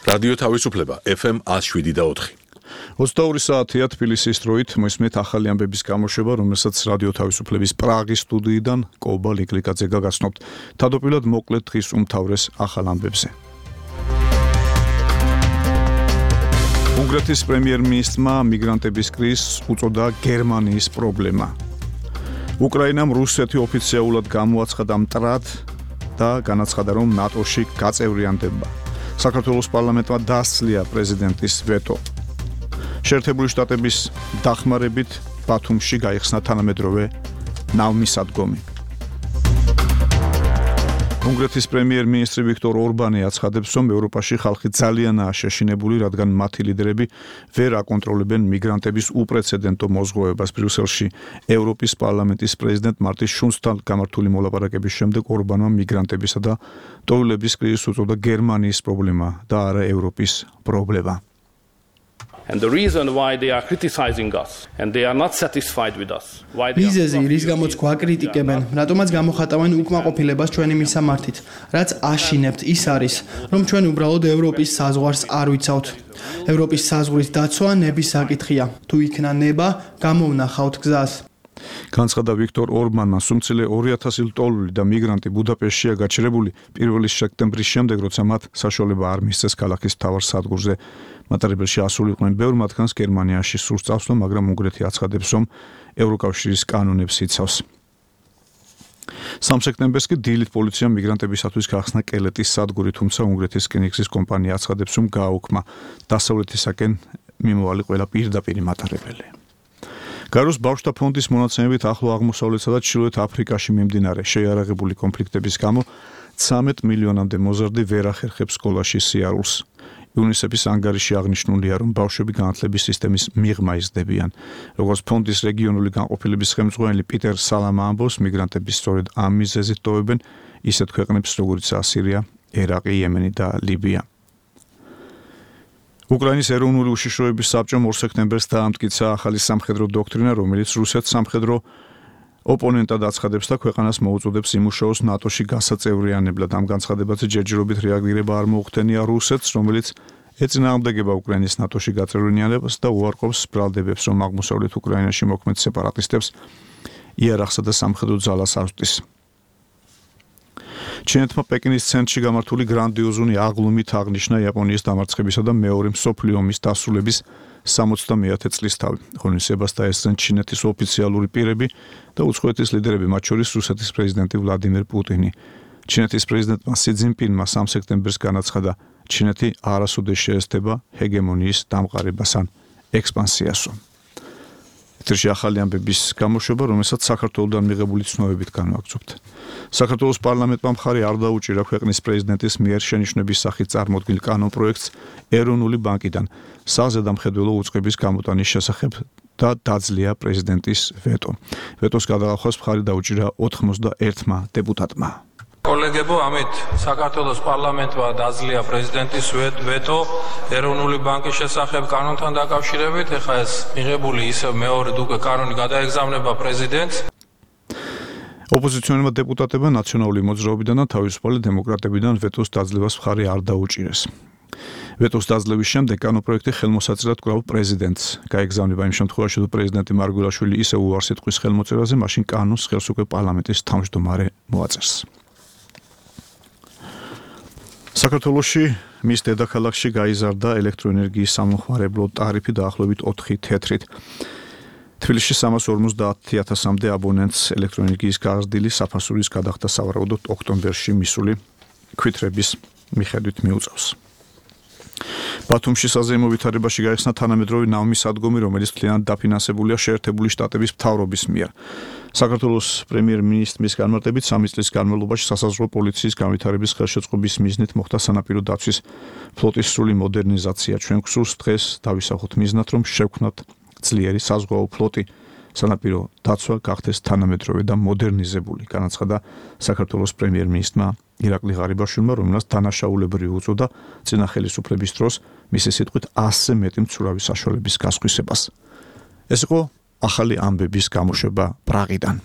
რადიო თავისუფლება FM 107.4. 22 საათია თბილისის დროით მოისმენთ ახალი ამბების გამოშვება, რომელსაც რადიო თავისუფლების პრაღის სტუდიიდან კობა ლიკლიკაძე გაგაცნობთ. თავდაპირველად მოკლედ დღის უმთავრეს ახალ ამბებზე. უნგრეთის პრემიერ-მინისტრმა მიგრანტების კრიზისს უწოდა გერმანიის პრობლემა. უკრაინამ რუსეთი ოფიციალურად გამოაცხადა მტრად და განაცხადა, რომ ნატოში გაწევრიანდება. საქართველოს პარლამენტმა დასძლია პრეზიდენტის ვეტო. შეერთებული შტატების დახმარებით ბათუმში გაიხსნა თანამედროვე ნავმისადგომი. უნგრეთის პრემიერ-მინისტრი ვიქტორ ორბანი აცხადებს, რომ ევროპაში ხალხი ძალიანაა შეშინებული, რადგან მათი ლიდერები ვერ აკონტროლებენ მიგრანტების უპრეცედენტო მოზღვევებას. ბრიუსელში ევროპის პარლამენტის პრეზიდენტ მარტინ შულცთან გამართული მოლაპარაკების შემდეგ ორბანმა მიგრანტებისა და ტოვლების კრიზისს უწოდა გერმანიის პრობლემა და არა ევროპის პრობლემა. And the reason why they are criticizing us and they are not satisfied with us. მიზეზი რის გამოც გვაკრიტიკებენ, რატომაც გამოხატავენ უკმაყოფილებას ჩვენი მისამართით, რაც აშინებთ ის არის, რომ ჩვენ უბრალოდ ევროპის საზღვარს არ ვიცავთ. ევროპის საზღვრის დაცვა ნების საკითხია. თუ იქნა ნება, გამოვნახავთ გზას. განცხადა ვიქტორ ორბანმა, სუმცილე 2000 ლტოლვილი და მიგრანტი ბუდაპეშტშია გაჩერებული 1 სექტემბრის შემდეგ, როცა მათ საშუალება არ მისცეს ქალაქის მთავარ სადგურზე მატარებელში ასულიყვნენ. ბევრ მათგანს გერმანიაში სურს წავსვლა, მაგრამ უნგრეთი აცხადებს, რომ ევროკავშირის კანონებს იცავს. 3 სექტემბერს კი დილით პოლიციამ მიგრანტებისათვის გახსნა კელეტის სადგური, თუმცა უნგრეთის რკინიგზის კომპანია აცხადებს, რომ გააუქმა დასავლეთისაკენ მიმოვალი ყველა პირდაპირი მატარებელი. გაროს ბავშვთა ფონდის მონაცემებით ახლო აღმოსავლეთსა და ჩრდილოეთ აფრიკაში მიმდინარე შეიარაღებული კონფლიქტების გამო 13 მილიონამდე მოზარდი ვერ ახერხებს სკოლაში სიარულს. იუნისეფის ანგარიში აღნიშნულია, რომ ბავშვები განათლების სისტემის მიღმა იზრდებიან. როგორც ფონდის რეგიონული განყოფილების ხელმძღვანელი პიტერ სალამა ამბობს, მიგრანტები სწორედ ამ მიზეზით ტოვებენ ისეთ ქვეყნებს, როგორიცაა სირია, ერაყი, იემენი და ლიბია. უკრაინის ეროვნული უშიშროების საბჭომ 2 სექტემბერს დაამტკიცა ახალი სამხედრო დოქტრინა, რომელიც რუსეთს სამხედრო ოპონენტად აცხადებს და ქვეყანას მოუწოდებს იმუშაოს ნატოში გასაწევრიანებლად. ამ განცხადებაზე ჯერჯერობით რეაგირება არ მოუხდენია რუსეთს, რომელიც ეწინააღმდეგება უკრაინის ნატოში გაწევრიანებას და უარყოფს ბრალდებებს, რომ აღმოსავლეთ უკრაინაში მოქმედ სეპარატისტებს იარაღსა და სამხედრო ძალას ავსტის. ჩინეთმა პეკინის ცენტრში გამართული გრანდიოზული აღლუმით აღნიშნა იაპონიის დამარცხებისა და მეორე მსოფლიო ომის დასრულების 70-ე წლისთავი. ღონისძიებას დაესწრნენ ჩინეთის ოფიციალური პირები და უცხოეთის ლიდერები, მათ შორის რუსეთის პრეზიდენტი ვლადიმერ პუტინი. ჩინეთის პრეზიდენტმა სი ძინპინმა 3 სექტემბერს განაცხადა, ჩინეთი არასოდეს შეესწრება ჰეგემონიის დამყარებას ან ექსპანსიასო. ეთერში ახალი ამბების გამოშვება, რომელსაც საქართველოსთან მიღებული ცნობებით განვაგრძობთ. საქართველოს პარლამენტმა მხარი არ დაუჭირა ქვეყნის პრეზიდენტის მიერ შენიშვნების სახით წარმოდგენილ კანონპროექტს ეროვნული ბანკიდან საზედამხედველო უწყების გამოტანის შესახებ და დაძლია პრეზიდენტის ვეტო. ვეტოს გადაღახვას მხარი დაუჭირა 91 დეპუტატმა. კოლეგებო, ამით საქართველოს პარლამენტმა დაძლია პრეზიდენტის ვეტო ეროვნული ბანკის შესახებ კანონთან დაკავშირებით. ეხლა ეს მიღებული ისევ მეორედ უკვე კანონი გადაეგზავნება პრეზიდენტს. ოპოზიციონერმა დეპუტატებმა ნაციონალური მოძრაობიდან და თავისუფალი დემოკრატებიდან ვეტოს დაძლევას მხარი არ დაუჭირეს. ვეტოს დაძლევის შემდეგ კანონპროექტი ხელმოსაწილად კვლავ პრეზიდენტს გაეგზავნება. იმ შემთხვევაში, თუ პრეზიდენტი მარგველაშვილი ისევ უარს იტყვის ხელმოწერაზე, მაშინ კანონს ხელს უკვე პარლამენტის თავმჯდომარე მოაწერს. საქართველოში მის დედაქალაქში გაიზარდა ელექტროენერგიის სამხმარებლო ტარიფი დაახლოებით 4 თეთრით. თბილისში 350,000-მდე აბონენტს ელექტროენერგიის გაზრდილი საფასურის გადახდა სავარაუდოდ ოქტომბერში მისული ქვითრების მიხედვით მიუწევს. ბათუმში საზეიმო ვითარებაში გაიხსნა თანამედროვე ნავმისადგომი, რომელიც მთლიანად დაფინანსებულია შეერთებული შტატების მთავრობის მიერ. საქართველოს პრემიერ-მინისტრის განმარტებით 3 წლის განმავლობაში სასაზღვრო პოლიციის განვითარების ხელშეწყობის მიზნით მოხდა სანაპირო დაცვის ფლოტის სრული მოდერნიზაცია. ჩვენ გსურს დღეს დავისახოთ მიზნად, რომ შევქმნათ ძლიერი საზღვაო ფლოტი, სანაპირო დაცვა გახდეს თანამედროვე და მოდერნიზებული, განაცხადა საქართველოს პრემიერ-მინისტრმა ირაკლი ღარიბაშვილმა, რომელსაც დანაშაულებრივი უწოდა წინა ხელისუფლების დროს მისი სიტყვით 100-ზე მეტი მცურავი საშუალების გასხვისებას. ეს იყო ახალი ამბების გამოშვება პრაღიდან.